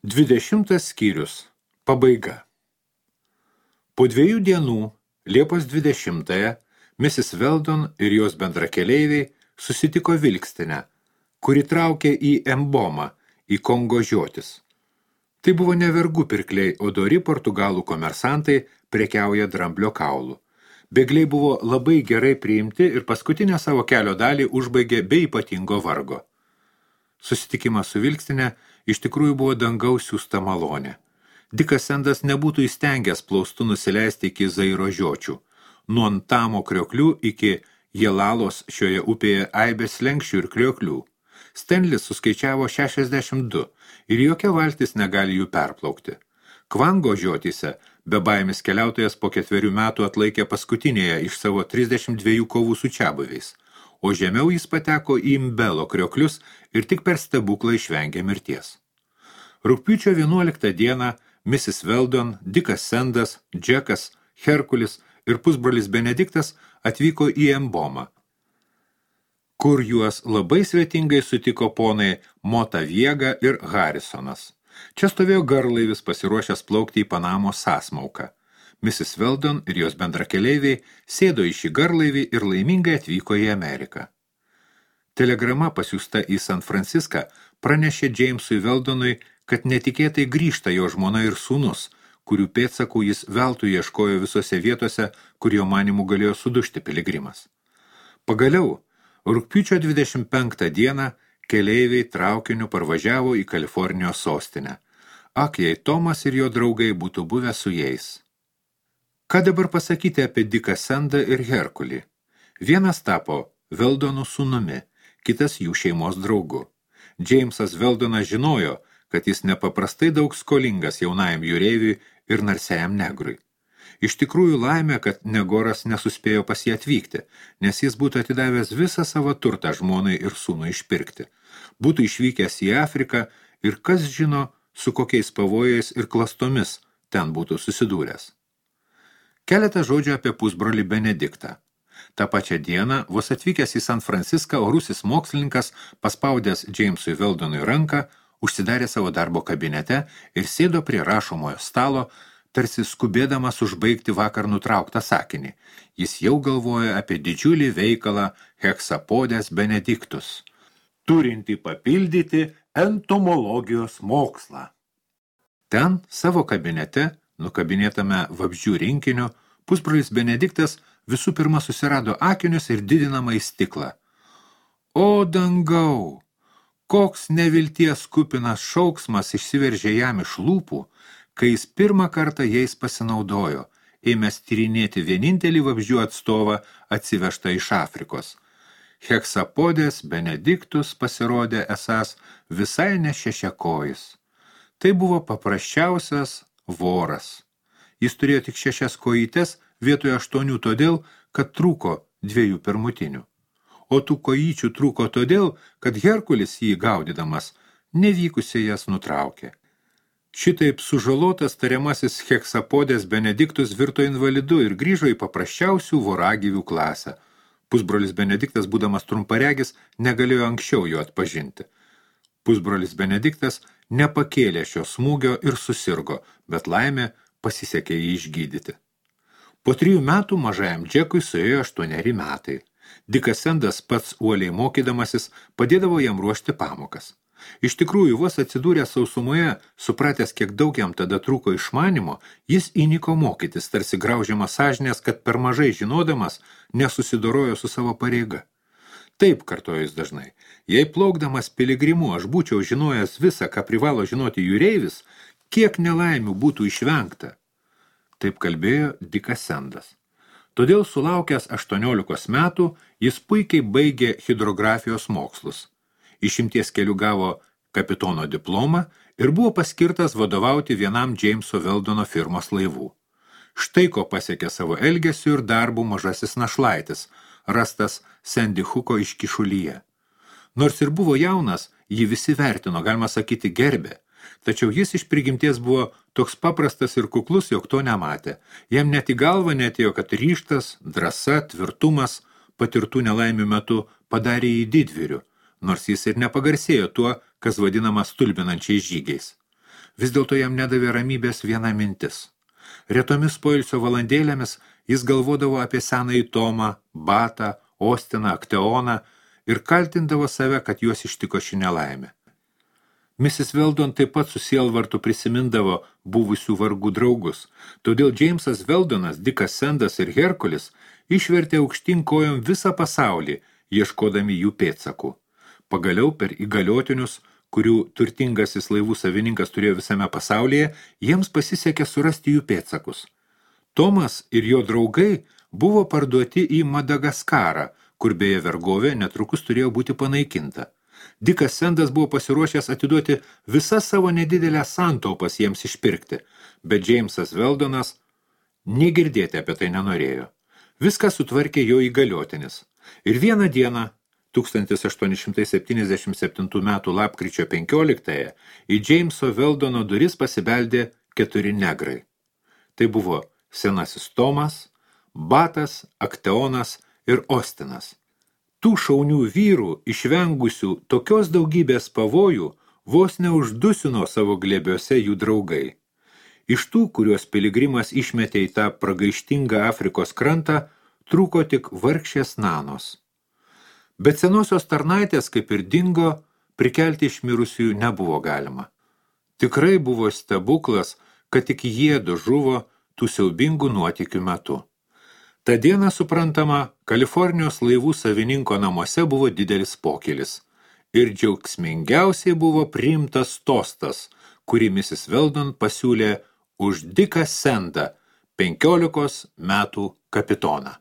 20 skyrius. Pabaiga. Po 2 dienų, Liepos 20-ąją, Mrs. Weldon ir jos bendrakeleiviai susitiko Vilkstinę, kuri traukė į Embomą, į Kongo žiotis. Tai buvo ne vergų pirkliai, o dori portugalų komersantai prekiauja dramblio kaulų. Bėgliai buvo labai gerai priimti ir paskutinę savo kelio dalį užbaigė be ypatingo vargo. Susitikimas su Vilkstinė iš tikrųjų buvo dangaus siųsta malonė. Dikas Sendas nebūtų įstengęs plaustų nusileisti iki Zairo žiočių, nuo Antamo krioklių iki Jelalos šioje upėje aibės slenkščių ir krioklių. Stenlis suskaičiavo 62 ir jokia valtis negali jų perplaukti. Kvango žiotyse bebaimis keliautojas po 4 metų atlaikė paskutinėje iš savo 32 kovų su čiabuviais, o žemiau jis pateko į Mbelo krioklius ir tik per stebuklą išvengė mirties. Rugpjūčio 11 dieną Mrs. Weldon, Dikas Sendas, Džekas, Herkulis ir pusbrolis Benediktas atvyko į Embomą, kur juos labai svetingai sutiko ponai Motaviega ir Harisonas. Čia stovėjo garlaivis pasiruošęs plaukti į Panamos sąsmauką. Mrs. Weldon ir jos bendrakeleiviai sėdo į šį garlaivį ir laimingai atvyko į Ameriką. Telegrama pasiųsta į San Franciską pranešė Jamesui Weldonui, kad netikėtai grįžta jo žmona ir sūnus, kurių pėdsakų jis veltui ieškojo visose vietose, kur jo manimų galėjo sudužti piligrimas. Pagaliau, rugpjūčio 25 dieną keleiviai traukiniu parvažiavo į Kalifornijos sostinę. Ak, jei Tomas ir jo draugai būtų buvę su jais. Ką dabar pasakyti apie Diką Sendą ir Herkulį? Vienas tapo Weldonų sūnumi, kitas jų šeimos draugu. Jamesas Weldonas žinojo, kad jis nepaprastai daug skolingas jaunajam jūreiviui ir narsiajam negrui. Iš tikrųjų laimė, kad Negoras nesuspėjo pas jį atvykti, nes jis būtų atidavęs visą savo turtą žmonai ir sūnui išpirkti. Būtų išvykęs į Afriką ir kas žino, su kokiais pavojais ir klastomis ten būtų susidūręs. Keletą žodžių apie pusbrolį Benediktą. Ta pačią dieną, vos atvykęs į San Franciską, orusis mokslininkas, paspaudęs Jamesui Weldonui ranką, užsidarė savo darbo kabinete ir sėdo prie rašomojo stalo, tarsi skubėdamas užbaigti vakar nutrauktą sakinį. Jis jau galvoja apie didžiulį veikalą Hexapodes Benedictus, turintį papildyti entomologijos mokslą. Ten, savo kabinete, nukabinėtame vabzdžių rinkiniu, pusbrolis Benediktas visų pirma susirado akinius ir didinamą į stiklą. O dangau! Koks nevilties kupinas šauksmas išsiveržė jam iš lūpų, kai jis pirmą kartą jais pasinaudojo, ėmęs tyrinėti vienintelį vabzdžių atstovą atsivežtą iš Afrikos. Hexapodes Benedictus pasirodė esąs visai ne šešiakojis. Tai buvo paprasčiausias voras. Jis turėjo tik 6 kojytes vietoje 8 todėl, kad trūko 2 pirmutinių. O tų kojyčių trūko todėl, kad Herkulis jį gaudydamas nevykusiai jas nutraukė. Šitaip sužalotas tariamasis Hexapodes Benedictus virto invalidu ir grįžo į paprasčiausių voragyvių klasę. Pusbrolis Benediktas, būdamas trumparegis, negalėjo anksčiau jo atpažinti. Pusbrolis Benediktas nepakėlė šio smūgio ir susirgo, bet laimė pasisekė jį išgydyti. Po 3 metų mažajam Džekui suėjo 8 metai. Dikas Sendas pats uoliai mokydamasis padėdavo jam ruošti pamokas. Iš tikrųjų, vos atsidūręs sausumoje, supratęs, kiek daug jam tada trūko išmanimo, jis įniko mokytis, tarsi graužiamas sąžinės, kad per mažai žinodamas nesusidorojo su savo pareiga. Taip, kartojo jis dažnai, jei plaukdamas piligrimu aš būčiau žinojęs visą, ką privalo žinoti jūreivis, kiek nelaimių būtų išvengta. Taip kalbėjo Dikas Sendas. Todėl sulaukęs 18 metų, jis puikiai baigė hidrografijos mokslus. Išimties keliu gavo kapitono diplomą ir buvo paskirtas vadovauti vienam Jameso Weldono firmos laivų. Štai ko pasiekė savo elgesiu ir darbu mažasis našlaitis, rastas Sandy Hooko iškišulyje. Nors ir buvo jaunas, jį visi vertino, galima sakyti, gerbė. Tačiau jis iš prigimties buvo toks paprastas ir kuklus, jog to nematė. Jam net į galvą neatėjo, kad ryžtas, drąsa, tvirtumas patirtų nelaimių metu padarė jį didvyriu, nors jis ir nepagarsėjo tuo, kas vadinama stulbinančiais žygiais. Vis dėlto jam nedavė ramybės viena mintis. Retomis poilsio valandėlėmis jis galvodavo apie senąjį Tomą, Batą, Ostiną, Akteoną ir kaltindavo save, kad juos ištiko ši nelaimė. Mrs. Weldon taip pat su sielvartu prisimindavo buvusių vargų draugus, todėl Jamesas Weldonas, Dickas Sandas ir Herkulis išvertė aukštyn kojom visą pasaulį, ieškodami jų pėdsakų. Pagaliau per įgaliotinius, kurių turtingasis laivų savininkas turėjo visame pasaulyje, jiems pasisekė surasti jų pėdsakus. Tomas ir jo draugai buvo parduoti į Madagaskarą, kur beje vergovė netrukus turėjo būti panaikinta. Dickas Sandas buvo pasiruošęs atiduoti visas savo nedidelę santaupas jiems išpirkti, bet Jamesas Weldonas negirdėti apie tai nenorėjo. Viską sutvarkė jo įgaliotinis. Ir vieną dieną, 1877 metų lapkričio 15-ąją, į Jameso Weldono duris pasibeldė 4 negrai. Tai buvo senasis Tomas, Batas, Akteonas ir Ostinas. Tų šaunių vyrų, išvengusių tokios daugybės pavojų, vos neuždusino savo glėbiuose jų draugai. Iš tų, kuriuos piligrimas išmetė į tą pragaištingą Afrikos krantą, trūko tik vargšės nanos. Bet senosios tarnaitės, kaip ir dingo, prikelti iš mirusiųjų nebuvo galima. Tikrai buvo stebuklas, kad tik jiedu žuvo tų siaubingų nuotykių metu. Ta diena, suprantama, Kalifornijos laivų savininko namuose buvo didelis pokylis. Ir džiaugsmingiausiai buvo priimtas tostas, kurį Mrs. Weldon pasiūlė už Dicką Sandą, 15 metų kapitoną.